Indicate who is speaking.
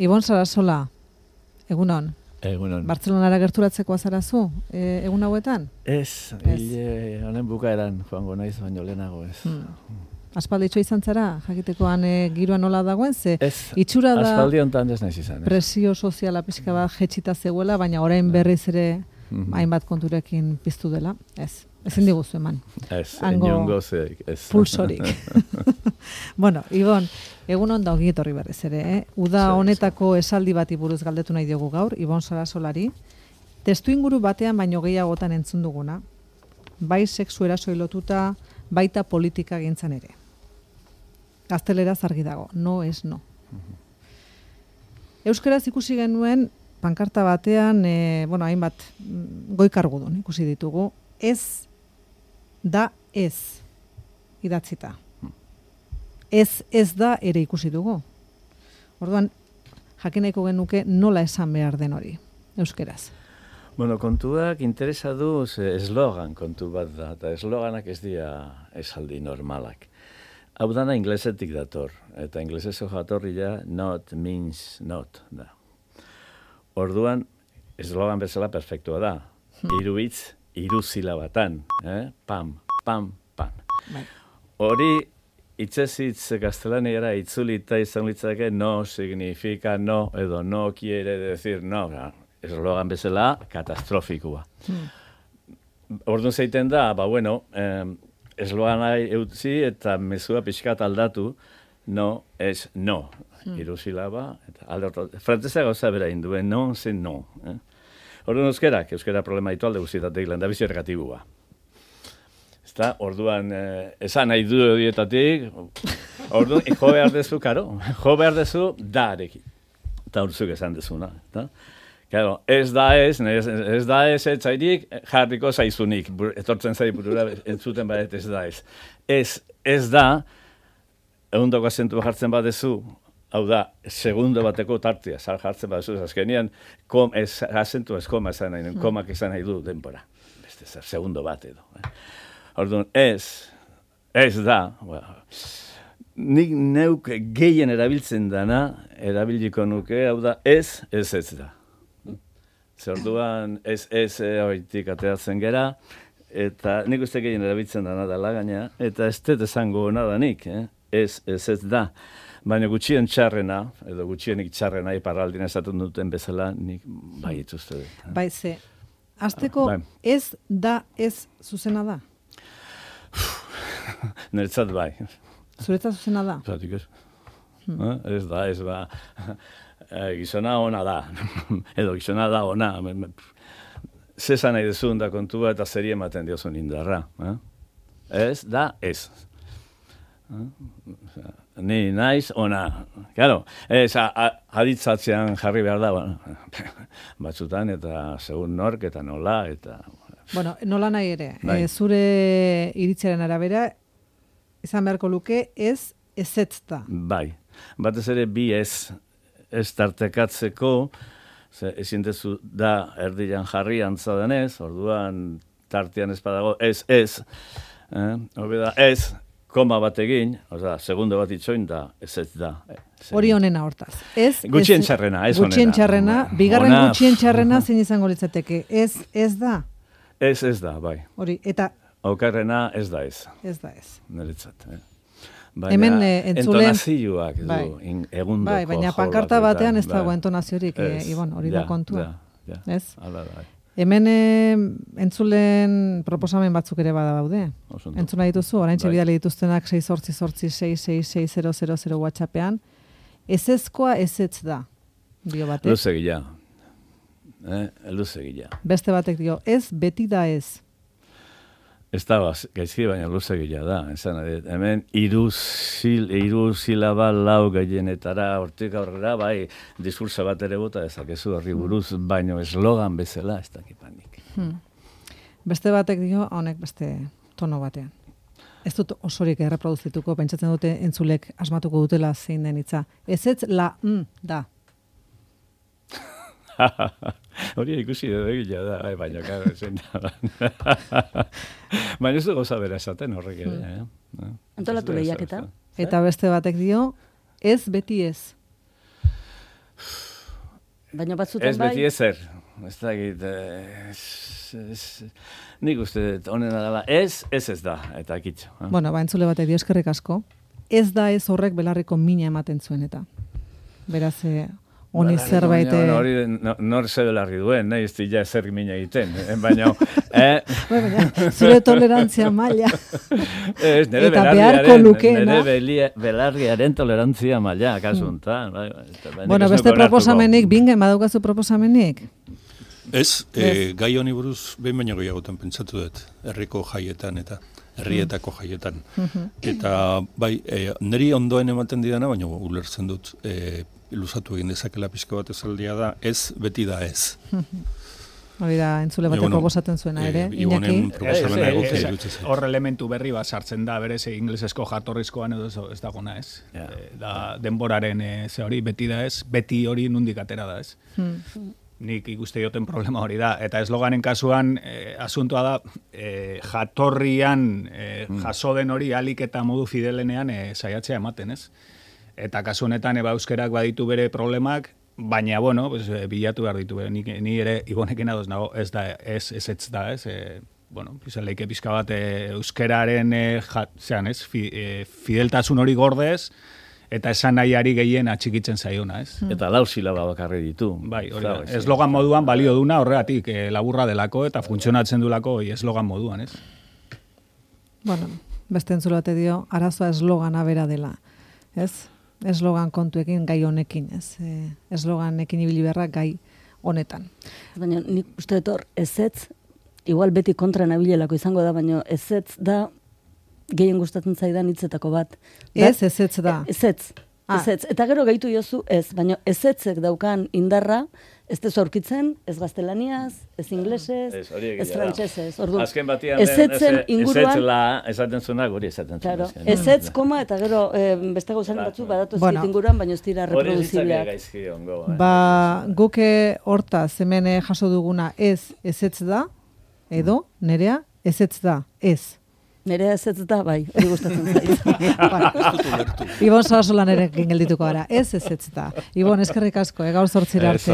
Speaker 1: Ibon Sarasola, egunon.
Speaker 2: Egunon.
Speaker 1: Bartzelonara gerturatzeko azarazu, egun hauetan?
Speaker 2: Ez, hile honen bukaeran joango naiz, baino lehenago ez.
Speaker 1: Aspalditxo izan zara, jakitekoan giroa nola dagoen, ze
Speaker 2: Ez,
Speaker 1: itxura da
Speaker 2: aspaldi honetan ez naiz izan.
Speaker 1: presio soziala pixka bat jetxita zegoela, baina orain berriz ere hainbat konturekin piztu dela. Ez, ezin diguzu eman.
Speaker 2: Ez,
Speaker 1: Hango
Speaker 2: inongo zeik, ez.
Speaker 1: Pulsorik. Bueno, Ibon, egunon da ongi etorri berriz ere, Uda honetako esaldi bati buruz galdetu nahi diogu gaur, Ibon Sarasolari. Testu inguru batean baino gehiagotan entzun duguna, bai sexu erasoi lotuta, baita politika gintzan ere. Gazteleraz argi dago, no es no. Euskaraz ikusi genuen, pankarta batean, hainbat goikargudun ikusi ditugu, ez da ez idatzita. Ez da ere ikusi dugu. Orduan, jakin nahiko genuke nola esan behar den hori, euskeraz.
Speaker 2: Bueno, kontuak interesa du eslogan kontu bat da, eta esloganak ez dira esaldi normalak. Hau dana inglesetik dator, eta ingleseso jatorria not means not da. Orduan, eslogan bezala perfektua da. Hiru hitz, hiru silabatan, pam, pam, pam. Hori, hitzez hitz gaztelaniara itzulita izan litzake no significa no, edo no quiere decir no. Eslogan bezala katastrofikoa. Orduan zeiten da, eslogana eutzi eta mezua pixkat aldatu, no es no. Hiru silaba, eta frantzesa gauza bera induen, no zen no. Orduan euskera problema ditu alde guztietatik, lehendabizi ergatibua. Ezta, orduan, esan nahi du horietatik, orduan, jo behar dezu, karo, jo behar dezu darekin. Eta urzuk esan dezuna, eta? Claro, ez da ez etzairik jarriko zaizunik, etortzen zai burura entzuten badet ez da ez. Ez da, egundoko azentua jartzen badezu, hau da, segundo bateko tartia, jartzen badezu, azkenean, azentua ez koma esan nahi, komak esan nahi du denbora. Beste zer, segundo bat edo. Orduan, ez da, nik neuk gehien erabiltzen dana, erabiliko nuke, hau da, ez da. Orduan ez horitik ateatzen gera, eta nik uste gehien erabiltzen dana dela gaina, eta ez dut esango nada nik, ez da. Baina gutxien txarrena, edo gutxienik txarrena, iparraldin esaten duten bezala, nik bai ituzte dut.
Speaker 1: Bai, ze, azteko ez da ez zuzena da?
Speaker 2: Niretzat bai.
Speaker 1: Zuretzat zuzena da?
Speaker 2: Zatik ez. Ez ba... gizona ona da, edo gizona da ona. Zezan nahi dezun da kontua eta zeri ematen diozun indarra. Ez da ez. Ni naiz ona. Claro, aditzatzean jarri behar da, batzutan eta segun nork eta nola eta...
Speaker 1: Bueno, nola nahi ere, zure iritziaren arabera, izan beharko luke ez ezetz da. Bai,
Speaker 2: batez ere bi ez tartekatzeko, ezin dezu da erdian jarri antza denez, orduan tartean ez badago ez, hori da ez, koma bat egin, segundo bat itxoin da, ez da.
Speaker 1: Hori honena hortaz.
Speaker 2: Gutxien txarrena, ez honena.
Speaker 1: Gutxien txarrena, bigarren gutxien txarrena zein izango litzateke, ez da.
Speaker 2: Ez da, bai.
Speaker 1: Hori, eta...
Speaker 2: Okarrena ez da ez.
Speaker 1: Ez da ez.
Speaker 2: Niretzat,
Speaker 1: Hemen
Speaker 2: entonazioak du, egundoko.
Speaker 1: Bai, baina pankarta batean ez dago entonaziorik, Ibon, hori da kontua. Ez? Hemen entzulen proposamen batzuk ere bada daude. Entzuna dituzu, orain txebidale dituztenak 688-666-000 WhatsAppean. Ezezkoa ezetz da, dio batek.
Speaker 2: Luzegia.
Speaker 1: Beste batek dio, ez beti da ez.
Speaker 2: Ez da, gaizki baina luzegia da. Hemen hiru silaba lau gehienetara hortik aurrera, bai, diskursa bat ere bota ezakezu horri buruz, baino eslogan bezala ez dakipanik.
Speaker 1: Beste batek dio, honek beste tono batean. Ez dut osorik erreproduzituko, pentsatzen dute entzulek asmatuko dutela zein den hitza. Ez la da.
Speaker 2: Hori ikusi egila da, baina karo zen da. Baina ez du goza bera esaten horrek ere.
Speaker 3: Antolatu lehiaketa.
Speaker 1: Eta beste batek dio, ez beti ez.
Speaker 3: Baina batzutan
Speaker 2: Ez beti ezer. Ez dakit, nik uste honena dela, ez da, eta kitxo.
Speaker 1: Bueno, entzule batek dio eskerrik asko. Ez da ez horrek belarriko mina ematen zuen eta. Beraz, honi zerbait...
Speaker 2: Hori nor ze belarri duen, nahi ez dira zer mina egiten, baina...
Speaker 1: Zure tolerantzia maila.
Speaker 2: Nire belarriaren tolerantzia maila, kasuntan.
Speaker 1: Bueno, beste proposamenik, bingen, badaukazu proposamenik?
Speaker 4: Ez, gai honi buruz behin baino gehiagotan pentsatu dut, herriko jaietan eta herrietako jaietan. Eta bai, niri ondoen ematen didana, baina ulertzen dut, luzatu egin dezakela pixka bat esaldia da, ez beti da ez.
Speaker 1: Hori da, entzule batek proposatzen zuena ere, Iñaki.
Speaker 5: Hor elementu berri bat sartzen da, berez inglesesko jatorrizkoan edo ez dagona ez. Da denboraren ze hori, beti da ez, beti hori nundik atera da ez. Nik ikuste dioten problema hori da. Eta esloganen kasuan, asuntoa da, jatorrian jaso den hori alik eta modu fidelenean saiatzea ematen, ez? Eta kasu honetan euskerak baditu bere problemak, baina, bueno, pues, bilatu behar ditu. Ni ere, Ibonekin adoz nago, ez da, ez da, ez? Bueno, leike pixka bat euskeraren, fideltasun hori gordez, eta esan nahiari gehien atxikitzen zaiona, ez?
Speaker 2: Eta 4 silaba bakarri ditu.
Speaker 5: Bai, hori da. Eslogan moduan balio duna horregatik laburra delako eta funtzionatzen dulako eslogan moduan, ez?
Speaker 1: Bueno, beste entzule bate dio, arazoa eslogana bera dela, ez? Eslogan kontuekin gai honekin, ez? Esloganekin ibili beharra gai honetan.
Speaker 3: Baina nik uste dut hor, ezetz, igual beti kontra nabilelako izango da, baina ezetz da gehien gustatzen zaidan hitzetako bat.
Speaker 1: Ezetz da.
Speaker 3: Ezetz. Eta gero gehitu jozu ez, baina ezetzek daukan indarra, ez tezu aurkitzen, ez gaztelaniaz, ez inglesez, ez frantsesez.
Speaker 2: Azken batian,
Speaker 3: ezetzen inguruan...
Speaker 2: Ezetzela esaten zuena, guri esaten zuena.
Speaker 3: Claro. Ezetz, koma, eta gero beste gauzaren batzu badatu ez inguruan, baina ez dira reproduzibleak.
Speaker 1: Guke hortaz, hemen jaso duguna ezetz da, edo, nerea, ezetz da, ez.
Speaker 3: Nerea ezetz da, bai, hori gustatzen zaiz.
Speaker 1: Ibon Sarasolan ere geldituko gara, ezetz da. Ibon, eskerrik asko, gaur 8 arte.